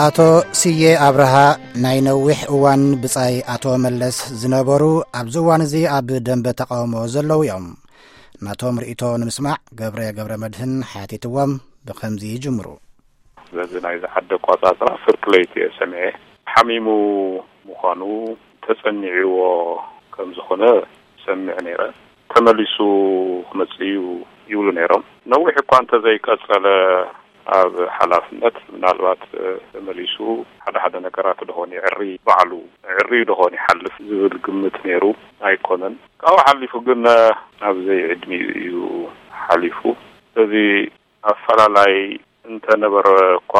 ኣቶ ስየ ኣብርሃ ናይ ነዊሕ እዋን ብጻይ ኣቶ መለስ ዝነበሩ፣ ኣብዚ እዋን እዚ ኣብ ደንበ ተቃውሞ ዘለዉ እዮም። ናቶም ርእይቶ ንምስማዕ ገብረ ገብረ መድህን ሓቲትዎም ብኸምዚ ይጅምሩ። ስለዚ ናይዚ ዓዲ ኣቋጻጽራ ፍርቂ ለይቲ እየ ሰሚዐ። ሓሚሙ ምዃኑ ተጸኒዕዎ ከም ዝኾነ ሰሚዐ ነይረ። ተመሊሱ ክመጽእ እዩ ይብሉ ነይሮም። ነዊሕ እኳ እንተዘይቀጸለ ኣብ ሓላፍነት፣ ምናልባት ተመሊሱ ሓደ ሓደ ነገራት ደኾን ይዕሪ፣ ባዕሉ ዕርዩ ደኾን ይሓልፍ ዝብል ግምት ነይሩ ኣይኮነን። ካብኡ ሓሊፉ ግን ኣብ ዘይዕድሚኡ እዩ ሓሊፉ። ስለዚ ኣፈላላይ እንተነበረ እኳ፣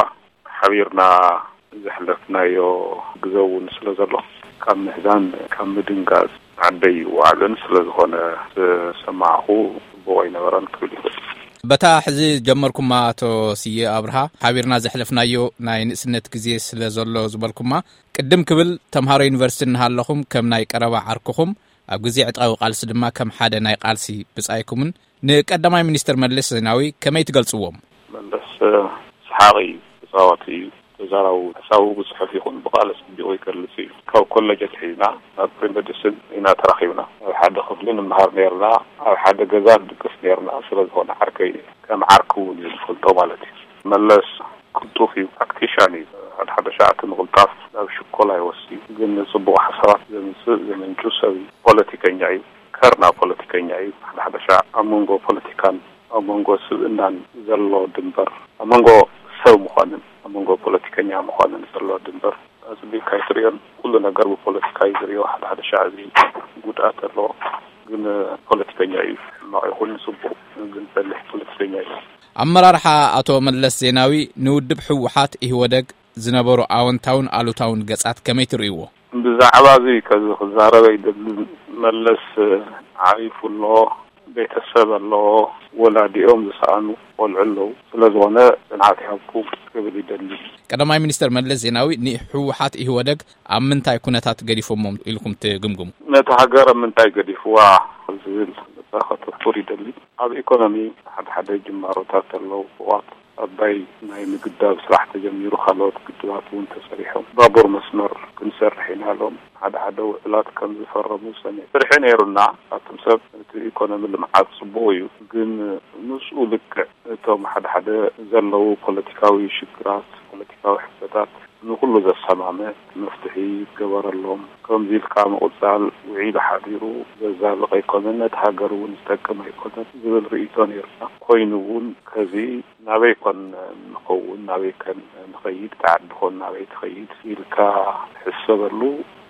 ሓቢርና ዘሕለፍናዮ ግዘ እውን ስለ ዘሎ፣ ካብ ምሕዛን፣ ካብ ምድንጋጽ ዓደይ ይወዓልን ስለ ዝኾነ፣ ዝሰማዕኹ ጽቡቕ ኣይነበረን ክብል ይኽእል። በታ ሕዚ ጀመርኩማ፣ ኣቶ ስየ ኣብርሃ፣ ሓቢርና ዘሕለፍናዮ ናይ ንእስነት ግዜ ስለ ዘሎ ዝበልኩማ፣ ቅድም ክብል ተምሃሮ ዩኒቨርሲቲ እናሃለኹም ከም ናይ ቀረባ ዓርክኹም፣ ኣብ ግዜ ዕጥቃዊ ቃልሲ ድማ ከም ሓደ ናይ ቃልሲ ብጻይኩምን ንቀዳማይ ሚኒስትር መለስ ዜናዊ ከመይ ትገልጽዎም? መለስ ሰሓቂ እዩ፣ ተጻዋቲ እዩ፣ ተዛራቡ፣ ሓሳቡ ብጽሑፍ ይኹን ብቃል ኣጸቢቑ ይገልጽ እዩ። ካብ ኮለጅ ኣትሒዝና ናብ ፕሪሜዲስን ኢና ተራኺብና። ኣብ ሓደ ክፍሊ ንምሃር ነይርና፣ ኣብ ሓደ ገዛ ንድቅስ ነይርና። ስለ ዝኾነ ዓርከይ እዩ፣ ከም ዓርኪ እውን እዩ ዝፈልጦ ማለት እዩ። መለስ ቅልጡፍ እዩ፣ ፕራክቲሻን እዩ። ሓደ ሓደ ሻዕ እቲ ምቕልጣፍ ናብ ሽኮላ ይወስድ እዩ፣ ግን ጽቡቕ ሓሳባት ዘምጽእ ዘመንጩ ሰብ እዩ። ፖለቲከኛ እዩ፣ ከርና ፖለቲከኛ እዩ። ሓደ ሓደ ሻዕ ኣብ መንጎ ፖለቲካን ኣብ መንጎ ስብእናን ዘሎ ድንበር፣ ኣብ መንጎ ሰብ ምዃንን ኣብ መንጎ ፖለቲከኛ ምዃንን ዘሎ ድንበር ኣጽቢብካ ኣይትርእዮን። ኩሉ ነገር ብፖለቲካ እዩ ዝርእዮ። ሓደ ሓደ ሻዕ እዚ ጉድኣት ኣለዎ፣ ግን ፖለቲከኛ እዩ። ሕማቕ ይኹን ጽቡቕ ግን ጸኒሕ ፖለቲከኛ እዩ። ኣመራርሓ ኣቶ መለስ ዜናዊ ንውድብ ህወሓት ኢህወደግ ዝነበሩ ኣወንታውን ኣሉታውን ገጻት ከመይ ትርእይዎ? ብዛዕባ እዚ ከዚ ክዛረብ ኣይደልን። መለስ ዓሪፉ ኣሎ፣ ቤተሰብ ኣለዎ፣ ወላዲኦም ዝሰኣኑ ቆልዑ ኣለዉ። ስለ ዝኾነ ጽንዓት ይሃብኩም ክብል ይደሊ። ቀዳማይ ሚኒስተር መለስ ዜናዊ ንህወሓት ኢህወደግ ኣብ ምንታይ ኩነታት ገዲፎሞም ኢልኩም ትግምግሙ? ነቲ ሃገር ኣብ ምንታይ ገዲፍዋ ዝብል ከተኩር ይደሊ። ኣብ ኢኮኖሚ ሓደ ሓደ ጅማሮታት ኣለዉ። እዋት ኣባይ ናይ ምግዳብ ስራሕ ተጀሚሩ፣ ካልኦት ግድባት እውን ተሰሪሖም። ባቡር መስመር ክንሰርሕ ኢና ኢሎም ሓደ ሓደ ውዕላት ከም ዝፈረሙ ሰሚዕ። ፍርሒ ነይሩና። ኣቱም ሰብ፣ እቲ ኢኮኖሚ ልምዓት ጽቡቕ እዩ፣ ግን ምስኡ ልክዕ እቶም ሓደ ሓደ ዘለዉ ፖለቲካዊ ሽግራት፣ ፖለቲካዊ ሕቶታት ንኹሉ ዘሰማምዕ መፍትሒ ይገበረሎም። ከምዚ ኢልካ ምቕጻል ውዒሉ ሓዲሩ ዘዛልቕ ኣይኮነን፣ ነቲ ሃገር እውን ዝጠቅም ኣይኮነን ዝብል ርእይቶ ነይሩና። ኮይኑ እውን ከዚ ናበይ ኮን ንኸውን፣ ናበይ ከን ንኸይድ፣ ተዓዲ ኮን ናበይ ትኸይድ ኢልካ ትሕሰበሉ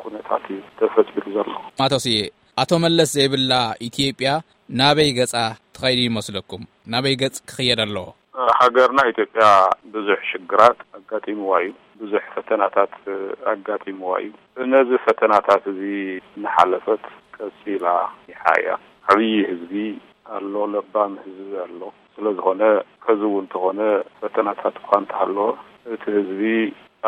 ኩነታት እዩ ተፈጢሩ ዘሎ። ኣቶ ስየ፣ ኣቶ መለስ ዘይብላ ኢትዮጵያ ናበይ ገጻ ትኸይድ ይመስለኩም? ናበይ ገጽ ክኽየድ ኣለዎ? ሃገርና ኢትዮጵያ ብዙሕ ሽግራት ኣጋጢምዋ እዩ። ብዙሕ ፈተናታት ኣጋጢምዋ እዩ። ነዚ ፈተናታት እዚ እናሓለፈት ቀጺላ ይሓ እያ። ዓብዪ ህዝቢ ኣሎ፣ ለባም ህዝቢ ኣሎ። ስለ ዝኾነ፣ ከዚ እውን እንተኾነ፣ ፈተናታት እኳ እንተሃለወ፣ እቲ ህዝቢ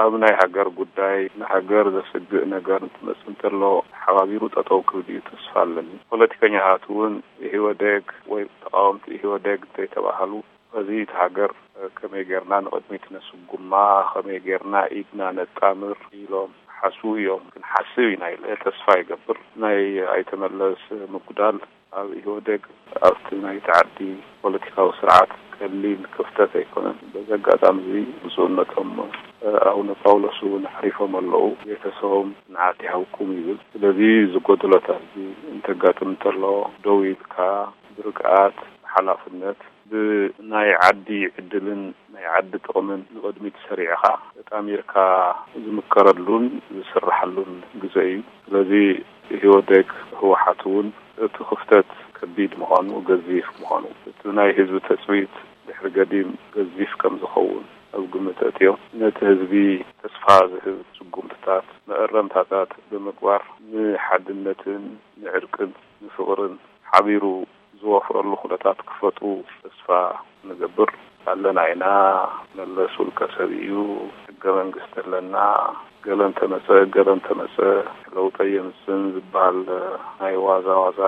ኣብ ናይ ሃገር ጉዳይ፣ ንሃገር ዘስግእ ነገር እንትመጽእ እንተሎ፣ ተሓባቢሩ ጠጠው ክብል እዩ ተስፋ ኣለኒ። ፖለቲከኛታት እውን ኢህወደግ ወይ ተቃወምቲ ኢህወደግ እንተይተባሃሉ፣ በዚ እቲ ሃገር ከመይ ጌርና ንቕድሚት ነስጉማ፣ ከመይ ጌርና ኢድና ነጣምር ኢሎም ሓስቡ እዮም። ክንሓስብ ኢና ኢለ ተስፋ ይገብር። ናይ ኣይተ መለስ ምጉዳል ኣብ ኢህወደግ፣ ኣብቲ ናይቲ ዓዲ ፖለቲካዊ ስርዓት ቀሊል ክፍተት ኣይኮነን። በዚ ኣጋጣሚ እዚ ብፁዕነቶም ኣቡነ ጳውሎስ እውን ዓሪፎም ኣለዉ። ቤተሰቦም ጽንዓት ይሃብኩም ይብል። ስለዚ ዝጎደሎታት እዚ እንተጋጥም እንተሎ ደው ኢልካ ብርግኣት፣ ብሓላፍነት፣ ብናይ ዓዲ ዕድልን ናይ ዓዲ ጥቕምን ንቕድሚት ሰሪዕኻ ተጣሚርካ ዝምከረሉን ዝስራሓሉን ግዘ እዩ። ስለዚ ኢህወደግ፣ ህወሓት እውን እቲ ክፍተት ከቢድ ምዃኑ፣ ገዚፍ ምዃኑ፣ እቲ ናይ ህዝቢ ተፅቢት ድሕሪ ገዲም ገዚፍ ከም ዝኸውን ኣብ ግምት ኣእትዮም፣ ነቲ ህዝቢ ተስፋ ዝህብ ስጉምትታት፣ መእረምታታት ብምግባር ንሓድነትን ንዕርቅን ንፍቕርን ሓቢሩ ዝወፍረሉ ኩነታት ክፈጥሩ ተስፋ ንገብር ኣለና ኢና። መለስ ውልቀ ሰብ እዩ፣ ሕገ መንግስቲ ኣለና፣ ገለ እንተመጸ፣ ገለ እንተመጸ ለውጢ የምጽእን ዝበሃል ናይ ዋዛ ዋዛ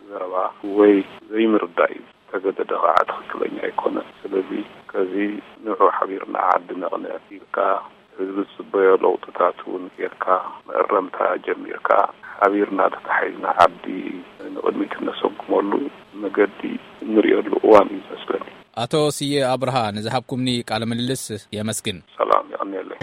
ዘረባ ወይ ዘይምርዳእ እዩ። ተገደደ ኸዓ ትኽክለኛ ኣይኮነን። ስለዚ ከዚ ንዑ ሓቢርና ዓዲ ነቕንዕ ኢልካ ህዝቢ ዝፅበዮ ለውጥታት እውን ጌርካ፣ መእረምታ ጀሚርካ፣ ሓቢርና ተታሒዝና ዓዲ ንቕድሚት እነሰጉመሉ መገዲ እንርእየሉ እዋን እዩ ዝመስለኒ። ኣቶ ስየ ኣብርሃ፣ ንዝሃብኩምኒ ቃለ ምልልስ የመስግን። ሰላም፣ የቐንየለይ።